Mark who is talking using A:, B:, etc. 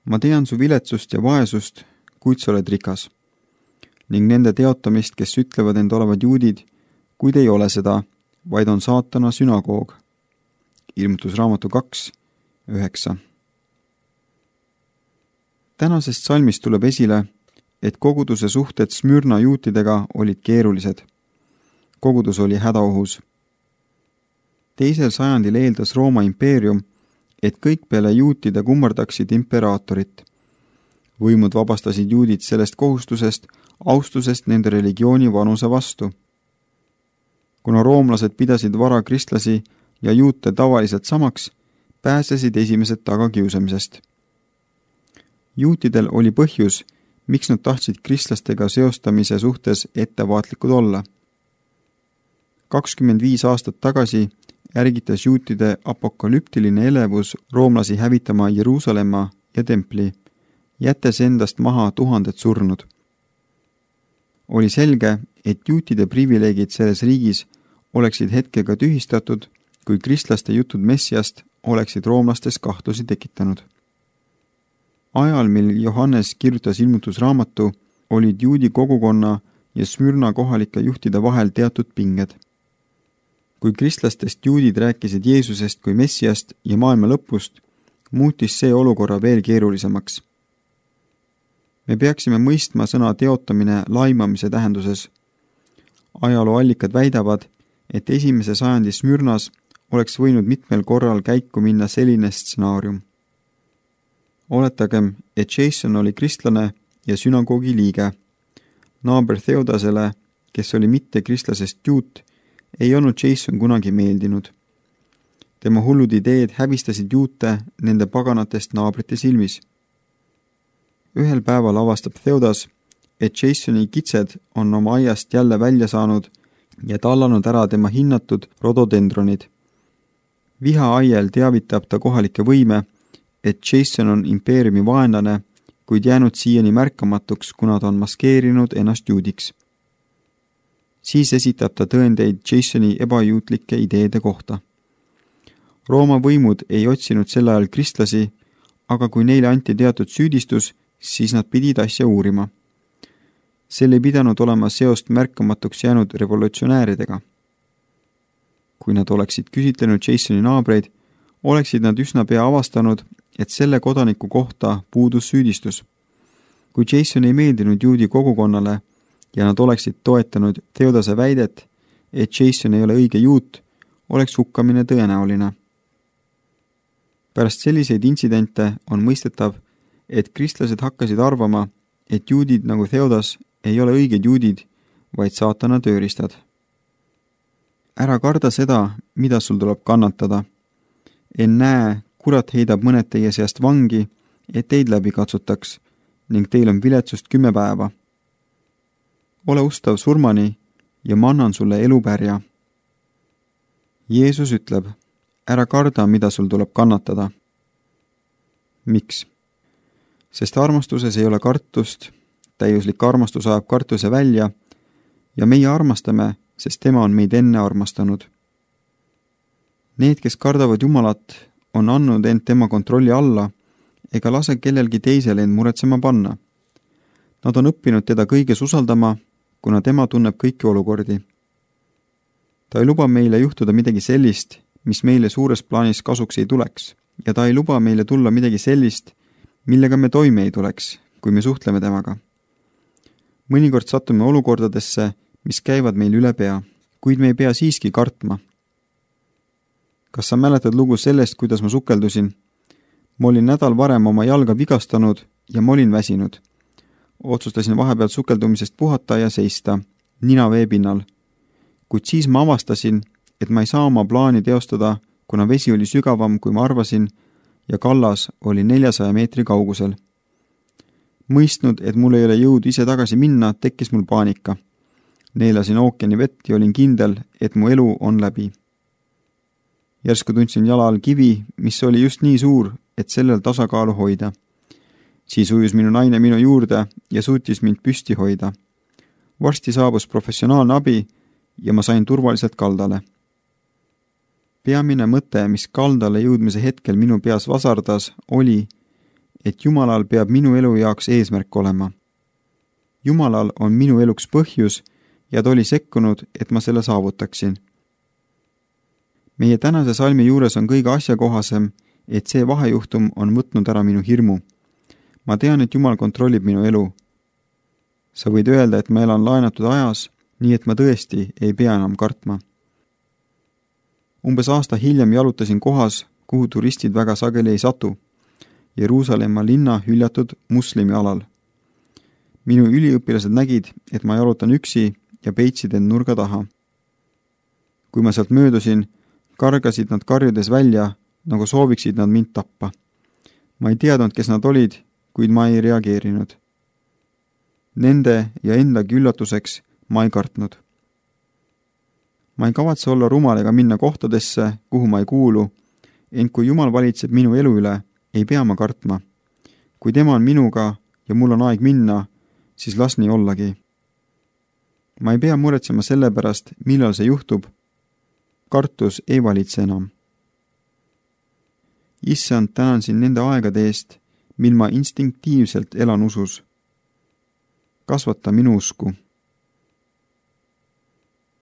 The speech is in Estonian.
A: ma tean su viletsust ja vaesust, kuid sa oled rikas. Ning nende teotamist, kes ütlevad end olevat juudid, kuid ei ole seda, vaid on saatana sünagoog. Ilmutusraamatu 2:9. Tänasest salmist tuleb esile, et koguduse suhted Smürna juutidega olid keerulised. Kogudus oli hädaohus. 2. sajandil eeldas Rooma impeerium, et kõik peale juutide kummardaksid imperaatorit. Võimud vabastasid juudid sellest kohustusest, austusest nende religiooni vanuse vastu. Kuna roomlased pidasid vara kristlasi ja juute tavaliselt samaks, pääsesid esimesed tagakiusamisest. Juutidel oli põhjus, miks nad tahtsid kristlastega seostamise suhtes ettevaatlikud olla. 25 aastat tagasi ärgitas juutide apokalüptiline elevus roomlasi hävitama Jeruusalemma ja templi, jättes endast maha tuhanded surnud. Oli selge, et juutide privileegid selles riigis oleksid hetkega tühistatud, kui kristlaste jutud Messiast oleksid roomlastes kahtlusi tekitanud. Ajal, mil Johannes kirjutas ilmutusraamatu, olid juudi kogukonna ja Smürna kohalike juhtide vahel teatud pinged. Kui kristlastest juudid rääkisid Jeesusest kui Messiast ja maailma lõpust, muutis see olukorra veel keerulisemaks. Me peaksime mõistma sõna teotamine laimamise tähenduses. Ajalooallikad väidavad, et 1. sajandi Smürnas oleks võinud mitmel korral käiku minna selline stsenaarium. Oletagem, et Jason oli kristlane ja sünagoogi liige. Naaber Theodasele, kes oli mitte kristlasest juut, ei olnud Jason kunagi meeldinud. Tema hullud ideed häbistasid juute nende paganatest naabrite silmis. Ühel päeval avastab Theodas, et Jasoni kitsed on oma aiast jälle välja saanud ja tallanud ära tema hinnatud rododendronid. Viha aiel teavitab ta kohalikke võime, et Jason on impeeriumi vaenlane, kuid jäänud siiani märkamatuks, kuna ta on maskeerinud ennast juudiks. Siis esitab ta tõendeid Jasoni ebajuutlike ideede kohta. Rooma võimud ei otsinud sel ajal kristlasi, aga kui neile anti teatud süüdistus, siis nad pidid asja uurima. Sel ei pidanud olema seost märkamatuks jäänud revolutsionääridega. Kui nad oleksid küsitlenud Jasoni naabreid, oleksid nad üsna pea avastanud, et selle kodaniku kohta puudus süüdistus. Kui Jason ei meeldinud juudi kogukonnale ja nad oleksid toetanud Theodase väidet, et Jason ei ole õige juut, oleks hukkamine tõenäoline. Pärast selliseid intsidente on mõistetav, et kristlased hakkasid arvama, et juudid nagu Theodas ei ole õiged juudid, vaid saatana tööriistad. Ära karda seda, mida sul tuleb kannatada. Ennäe, kurat heidab mõned teie seast vangi, et teid läbi katsutaks, ning teil on viletsust 10 päeva. Ole ustav surmani ja ma annan sulle elupärja. Jeesus ütleb, ära karda, mida sul tuleb kannatada. Miks? Sest armastuses ei ole kartust, täiuslik armastus ajab kartuse välja ja meie armastame, sest tema on meid enne armastanud. Need, kes kardavad Jumalat, on andnud end tema kontrolli alla ega lase kellelgi teisel end muretsema panna. Nad on õppinud teda kõiges usaldama, kuna tema tunneb kõiki olukordi. Ta ei luba meile juhtuda midagi sellist, mis meile suures plaanis kasuks ei tuleks, ja ta ei luba meile tulla midagi sellist, millega me toime ei tuleks, kui me suhtleme temaga. Mõnikord satume olukordadesse, mis käivad meil üle pea, kuid me ei pea siiski kartma. Kas sa mäletad lugu sellest, kuidas ma sukeldusin? Ma olin nädal varem oma jalga vigastanud ja ma olin väsinud. Otsustasin vahepeal sukeldumisest puhata ja seista, nina veepinnal. Kuid siis ma avastasin, et ma ei saa oma plaani teostada, kuna vesi oli sügavam, kui ma arvasin, ja kallas oli 400 meetri kaugusel. Mõistnud, et mul ei ole jõudu ise tagasi minna, tekkis mul paanika. Neelasin ookeani vett ja olin kindel, et mu elu on läbi. Järsku tundsin jala all kivi, mis oli just nii suur, et sellel tasakaalu hoida. Siis ujus minu naine minu juurde ja suutis mind püsti hoida. Varsti saabus professionaalne abi ja ma sain turvaliselt kaldale. Peamine mõte, mis kaldale jõudmise hetkel minu peas vasardas, oli, et Jumalal peab minu elu jaoks eesmärk olema. Jumalal on minu eluks põhjus ja ta oli sekkunud, et ma selle saavutaksin. Meie tänase salmi juures on kõige asjakohasem, et see vahejuhtum on võtnud ära minu hirmu. Ma tean, et Jumal kontrollib minu elu. Sa võid öelda, et ma elan laenatud ajas, nii et ma tõesti ei pea enam kartma. Umbes aasta hiljem jalutasin kohas, kuhu turistid väga sageli ei satu, Jeruusalemma linna hüljatud muslimi alal. Minu üliõpilased nägid, et ma jalutan üksi ja peitsid end nurga taha. Kui ma sealt möödusin, kargasid nad karjudes välja, nagu sooviksid nad mind tappa. Ma ei teadnud, kes nad olid, kuid ma ei reageerinud. Nende ja endagi üllatuseks ma ei kartnud. Ma ei kavatse olla rumal ega minna kohtadesse, kuhu ma ei kuulu, ent kui Jumal valitseb minu elu üle, ei pea ma kartma. Kui tema on minuga ja mul on aeg minna, siis las nii ollagi. Ma ei pea muretsema selle pärast, millal see juhtub. Kartus ei valitse enam. Issand, tänan sind nende aegade eest, mil ma instinktiivselt elan usus. Kasvata minu usku.